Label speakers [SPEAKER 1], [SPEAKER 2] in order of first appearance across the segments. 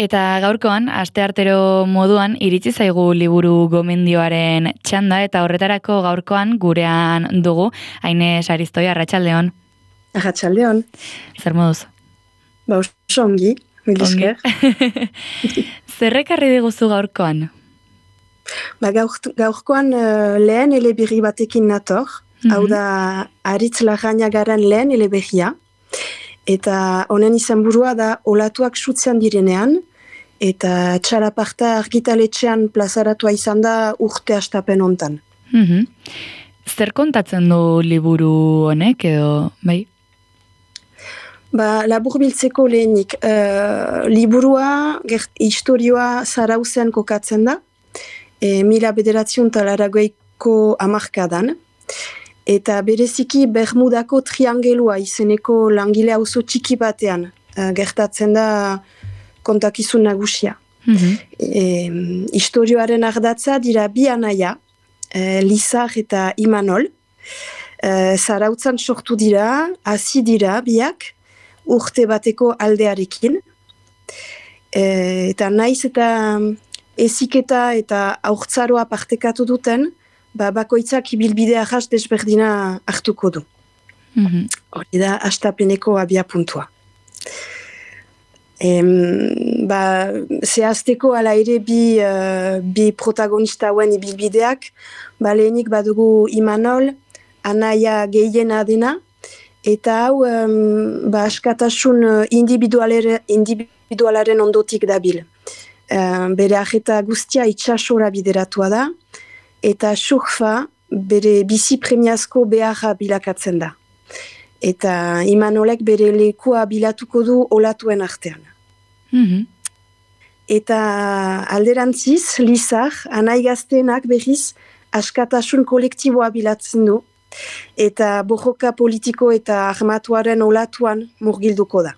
[SPEAKER 1] Eta gaurkoan, asteartero moduan, iritsi zaigu liburu gomendioaren txanda, eta horretarako gaurkoan gurean dugu, Aine Saristoi, arratsaldeon.
[SPEAKER 2] Arratsaldeon.
[SPEAKER 1] Zer moduz?
[SPEAKER 2] Oso ongi, mil esker.
[SPEAKER 1] Zer ekarri diguzu gaurkoan?
[SPEAKER 2] Gaurkoan lehen eleberri batekin nator, hau da Aritz Larrañagaren lehen eleberria, eta honen izenburua da olatuak sutzean direnean, eta txalaparta argitaletxean plazaratua izan da urte hastapen hontan.
[SPEAKER 1] Zer kontatzen du liburu honek edo, bai?
[SPEAKER 2] Laburbiltzeko lehenik, liburua, historioa Zarauzen kokatzen da, 1980ko hamarkadan, eta bereziki Bermudako triangelua izeneko langile auzo txiki batean gertatzen da kontakizun nagusia. Historioaren ardatza dira bi anaia, Lizar eta Imanol, Zarautzan sortu dira, hasi dira biak, urte bateko aldearekin, eta naiz eta eziketa eta haurtzaroa partekatu duten, bakoitzak ibilbidea jas desberdina hartuko du. Hori da, hastapeneko abia puntua. Zehazteko ala ere bi protagonista hauen ibilbideak, lehenik badugu Imanol, anaia gehiena dena, eta hau askatasun individualaren ondotik dabil. Bere ajeta guztia itsasora bideratua da, eta surfa bere bizi premiazko beharra bilakatzen da. Eta Imanolek bere lekua bilatuko du olatuen artean. Eta alderantziz, Lizar, anai gazteenak berriz askatasun kolektiboa bilatzen du, eta borroka politiko eta armatuaren olatuan murgilduko da.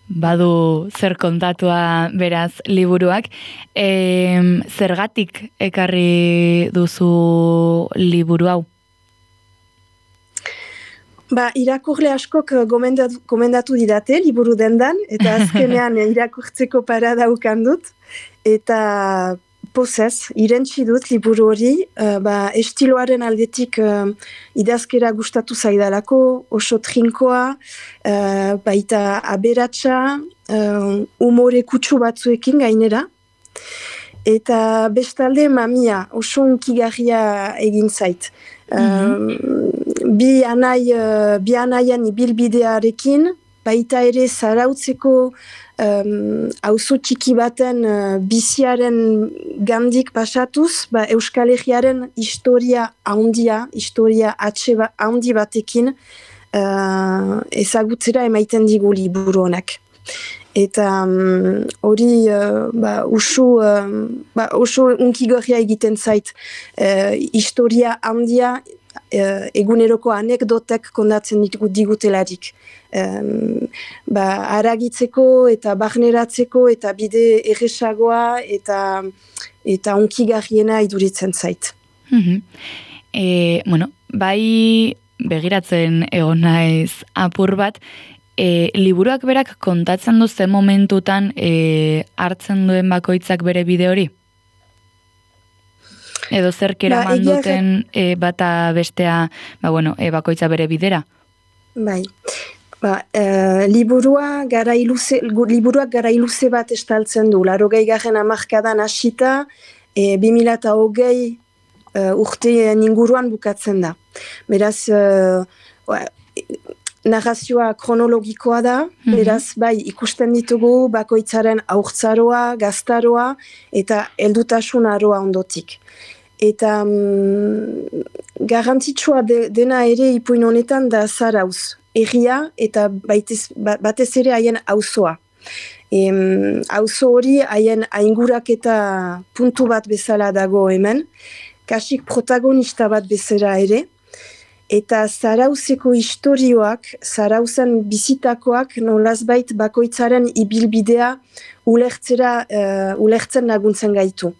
[SPEAKER 1] Badu zer kontatua beraz liburuak. Zergatik ekarri duzu liburu hau?
[SPEAKER 2] Irakurle askok gomendatu didate liburu dendan, eta azkenean irakurtzeko parada ukan dut, eta pozez, irentsi dut liburu hori, estiloaren aldetik idazkera gustatu zaidalako, oso trinkoa, baita aberatsa, umore kutsu batzuekin gainera, eta bestalde mamia, oso unkigarria egin zait. Bi anaian ibilbidearekin, baita ere Zarautzeko auzo txiki baten biziaren gandik pasatuz, Euskal Herriaren historia handi batekin ezagutzera emaiten digu liburu honak. Eta hori oso unkigorria egiten zait historia handia eguneroko anekdotek kondatzen digutelarik. Haragitzeko eta barneratzeko eta bide erresagoa eta unkigarriena iduritzen zait.
[SPEAKER 1] Bai begiratzen egon naiz apur bat, liburuak berak kontatzen du zen momentutan hartzen duen bakoitzak bere bide hori? Edo zerkera manduten bata bestea, bakoitza bere bidera?
[SPEAKER 2] Bai. Liburuak garai luze bat estaltzen du. 80. hamarkadan hasita, 2020 urteen inguruan bukatzen da. Beraz, narrazioa kronologikoa da, beraz, ikusten ditugu bakoitzaren haurtzaroa, gaztaroa eta heldutasun aroa ondotik. Eta garrantzitsua dena ere ipuin honetan da Zarauz, herria eta batez ere haien auzoa. Auzo hori haien aingurak eta puntu bat bezala dago hemen, kasik protagonista bat bezala ere, eta Zarauzeko historioak, Zarauzen bizitakoak nolazbait bakoitzaren ibilbidea ulertzen laguntzen gaitu.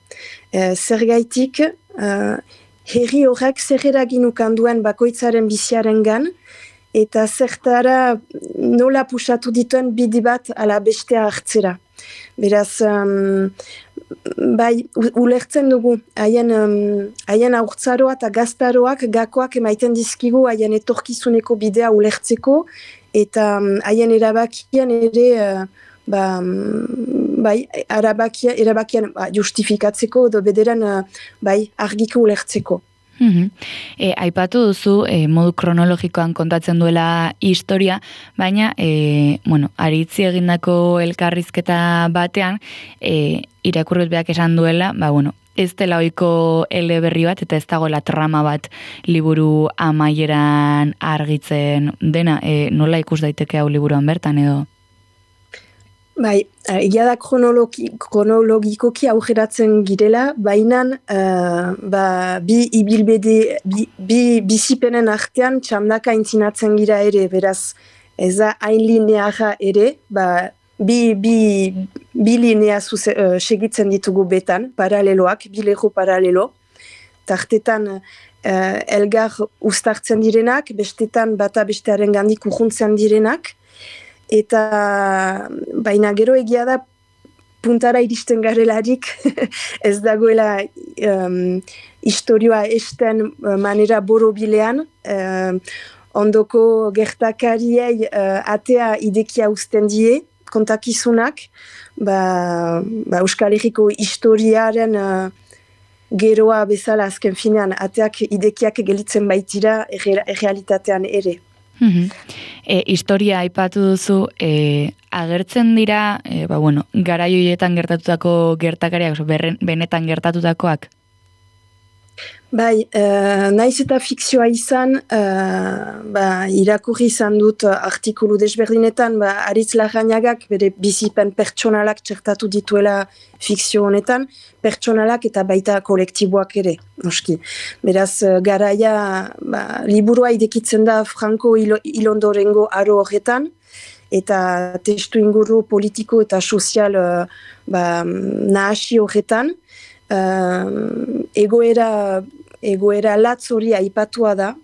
[SPEAKER 2] Zergaitik, herri horrek zer eragin ukan duen bakoitzaren biziarengan, eta zertara nola pusatu dituen bide bat ala bestea hartzera. Beraz, bai, ulertzen dugu, haien aurtzaroa eta gaztaroak gakoak emaiten dizkigu haien etorkizuneko bidea ulertzeko, eta haien erabakian ere, bai, erabakian justifikatzeko edo bederan bai, argiko ulertzeko.
[SPEAKER 1] Aipatu duzu modu kronologikoan kontatzen duela historia, baina aritzi egindako elkarrizketa batean irakurriak esan duela, ez dela ohiko eleberri bat eta ez dagoela trama bat liburu amaieran argitzen dena, nola ikus daiteke hau liburuan bertan edo?
[SPEAKER 2] Bai, egia da kronologikoki aurreratzen girela, baina bi ibilbide, bi bizipenen artean txandaka intzinatzen gira ere, beraz ez da hain lineara ere, bi linea segitzen ditugu betan, paraleloak, bi leho paralelo, tartetan elgar uztartzen direnak, bestetan bata bestearen gandik urruntzen direnak, eta baina gero egia da puntara iristen garelarik ez dagoela historioa esten manera borobilean, ondoko gertakariei atea idekia uzten die kontakizunak, Euskal Herriko historiaren geroa bezala azken finean ateak idekiak gelitzen baitira errealitatean ere.
[SPEAKER 1] Historia aipatu duzu, agertzen dira, garaioietan gertatutako gertakariak, benetan gertatutakoak?
[SPEAKER 2] Bai, naiz eta fikzioa izan, irakurri izan dut artikulu desberdinetan, Aritz Larrañagak bere bizipen pertsonalak txertatu dituela fikzio honetan, pertsonalak eta baita kolektiboak ere, noski. Beraz, garaia, liburua idekitzen da Franco Hilondorengo aro horretan, eta testu inguru politiko eta sozial nahasi horretan, egoera latz hori aipatua da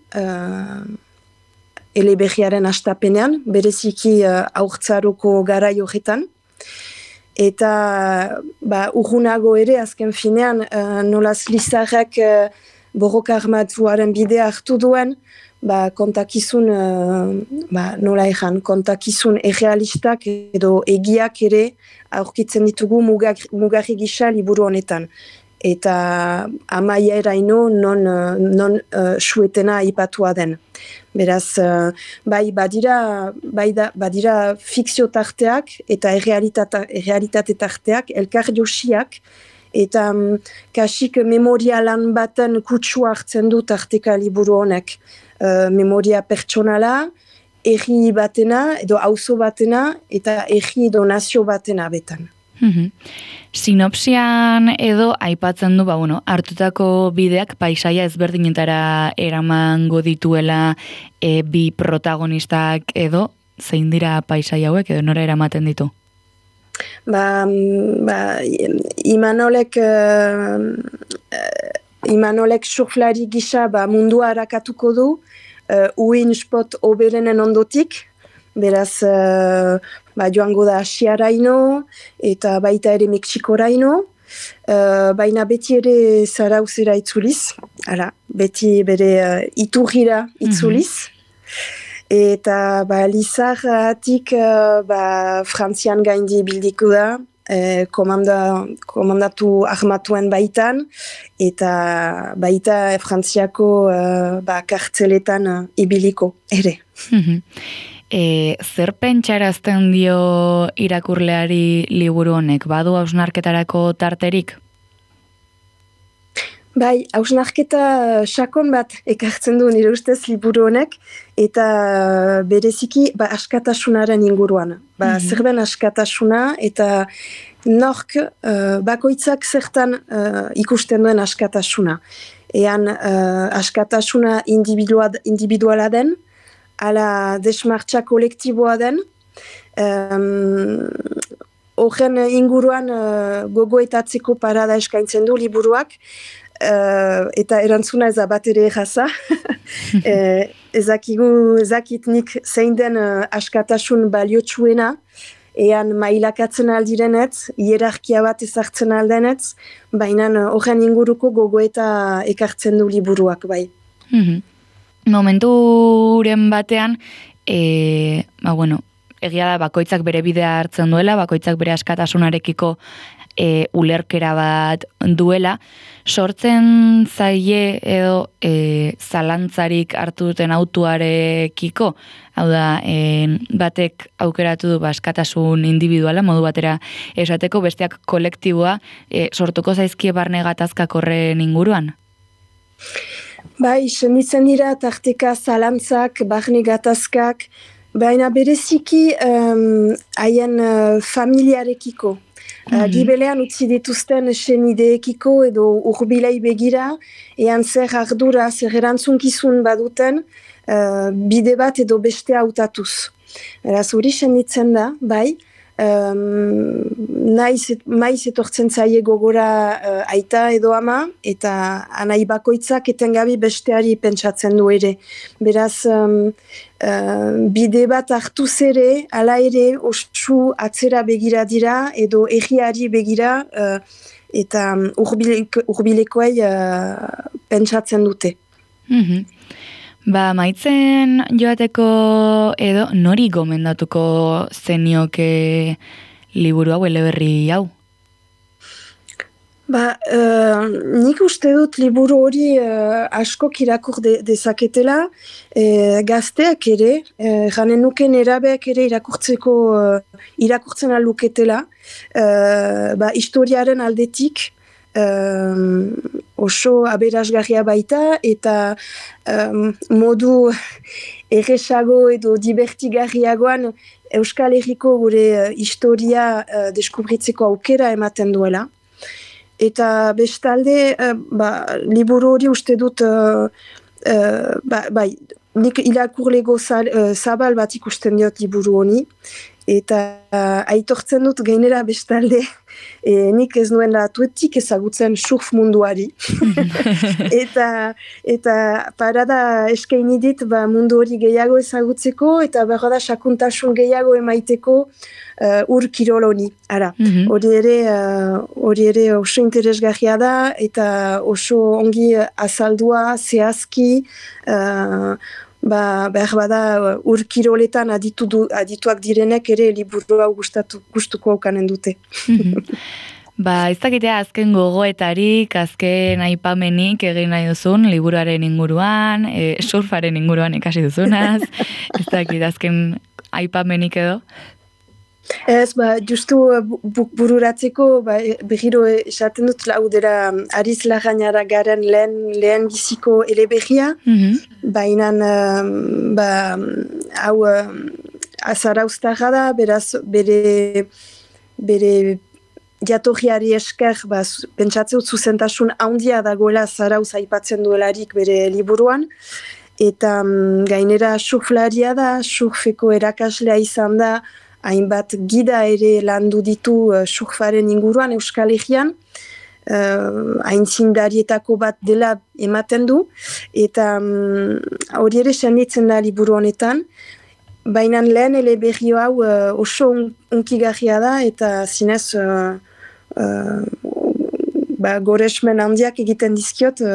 [SPEAKER 2] eleberriaren hastapenean, bereziki haurtzaroko garai horretan, eta urrunago ere azken finean nolaz Lizarrak borroka armatuaren bidea hartu duen, kontakizun kontakizun errealistak edo egiak ere aurkitzen ditugu mugarri gisa liburu honetan. Eta amaia eraino non suetena aipatua den. Beraz, badira fikzio tarteak eta errealitate tarteak, elkar josiak, eta kasik memoria lan baten kutsua hartzen du tarteka liburu honek. Memoria pertsonala, erri batena, edo auzo batena, eta erri edo nazio batena betan.
[SPEAKER 1] Sinopsian edo aipatzen du, hartutako bideak paisaia ezberdinetara eramango dituela bi protagonistak edo, zein dira paisaia hauek edo nora eramaten ditu?
[SPEAKER 2] Imanolek surflari gisa mundua harakatuko du, uin spot oberenen ondotik, beraz joango da Asiaraino eta baita ere Mexikoraino, baina beti ere Zarauzera itzuliz, beti bere iturrira itzuliz, eta Lizarratik Frantzian gaindi bildiko da, komandatu armatuen baitan, eta baita Frantziako kartzeletan ibiliko ere.
[SPEAKER 1] Zer pentsarazten dio irakurleari liburu honek? Badu hausnarketarako tarterik?
[SPEAKER 2] Bai, hausnarketa sakon bat ekartzen du nire ustez liburu honek, eta bereziki askatasunaren inguruan. Zer den askatasuna eta nork bakoitzak zertan ikusten duen askatasuna. Ean askatasuna individuala den, ala desmartxa kolektiboa den, horren inguruan gogoetatzeko parada eskaintzen du liburuak, eta erantzuna ez da bat ere erraza, ezakitnik zein den askatasun baliotsuena, ean mailakatzen aldirenetz, hierarkia bat ezartzen aldenetz, baina horren inguruko gogoeta ekartzen du liburuak, bai.
[SPEAKER 1] Momenturen batean, egia da bakoitzak bere bidea hartzen duela, bakoitzak bere askatasunarekiko ulerkera bat duela, sortzen zaie edo zalantzarik hartu duten autuarekiko, hau da, batek aukeratu du askatasun individuala, modu batera esateko, besteak kolektiboa, sortuko zaizkie barne gatazkak horren inguruan?
[SPEAKER 2] Bai, senditzen dira tarteka zalantzak, barne gatazkak, baina bereziki haien familiarekiko. Gibelean utzi dituzten senideekiko edo urbilei begira, ean zer ardura, zer erantzunkizun baduten, bide bat edo beste hautatuz. Eraz hori senditzen da, bai, maiz etortzen zaie gogora aita edo ama, eta anai bakoitzak etengabi besteari pentsatzen du ere. Beraz, bide bat hartuz ere, ala ere, osu atzera begira dira, edo egiari begira, eta urbilekoei pentsatzen dute.
[SPEAKER 1] Maitzen joateko edo nori gomendatuko zenioke liburu hau, eleberri hau?
[SPEAKER 2] Nik uste dut liburu hori askok irakur dezaketela, gazteak ere, janen nuken erabeak ere irakurtzen aluketela, historiaren aldetik, oso aberasgarria baita eta modu erresago edo divertigarriagoan Euskal Herriko gure historia deskubritzeko aukera ematen duela. Eta bestalde, liburu hori uste dut, nik irakurlego zabal bat ikusten diot liburu honi, eta aitortzen dut gainera bestalde, nik ez nuen atuetik ezagutzen surf munduari. eta parada eskaini dit mundu hori gehiago ezagutzeko, eta berda sakuntasun gehiago emaiteko ur kirol honi. Hori ere oso interesgarria da, eta oso ongi azaldua, zehazki, behar bada ur kiroletan adituak direnek ere liburu hau gustuko aukanen dute.
[SPEAKER 1] Ez dakitea azken gogoetarik, azken aipamenik egin nahi duzun, liburuaren inguruan, surfaren inguruan ikasi duzunaz, ez dakit azken aipamenik edo?
[SPEAKER 2] Ez, justu bururatzeko, behiro esaten dut laudera Ariz Larrañara garen lehen biziko eleberria, baina hau azarauztarra da, beraz bere jatorriari esker, pentsatzeu zuzentasun handia dagoela zarauz aipatzen duelarik bere liburuan, eta gainera surflaria da, surfeko erakaslea izan da, hainbat gida ere landu ditu surfaren inguruan Euskal Herrian, aintzindarietako bat dela ematen du, eta hori ere senditzen da liburu honetan, baina lehen eleberri hau oso unkigarria da, eta zinez goresmen handiak egiten dizkiot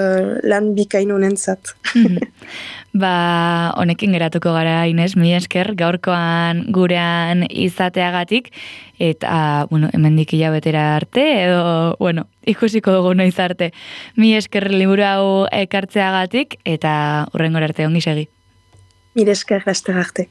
[SPEAKER 2] lan bikain honentzat.
[SPEAKER 1] Honekin geratuko gara, Ines, mila esker gaurkoan gurean izateagatik, eta, hemendik hilabetera arte, edo, ikusiko dugu noiz arte. Mila esker liburu hau ekartzeagatik, eta hurrengora arte ongi segi.
[SPEAKER 2] Mila esker, laster arte.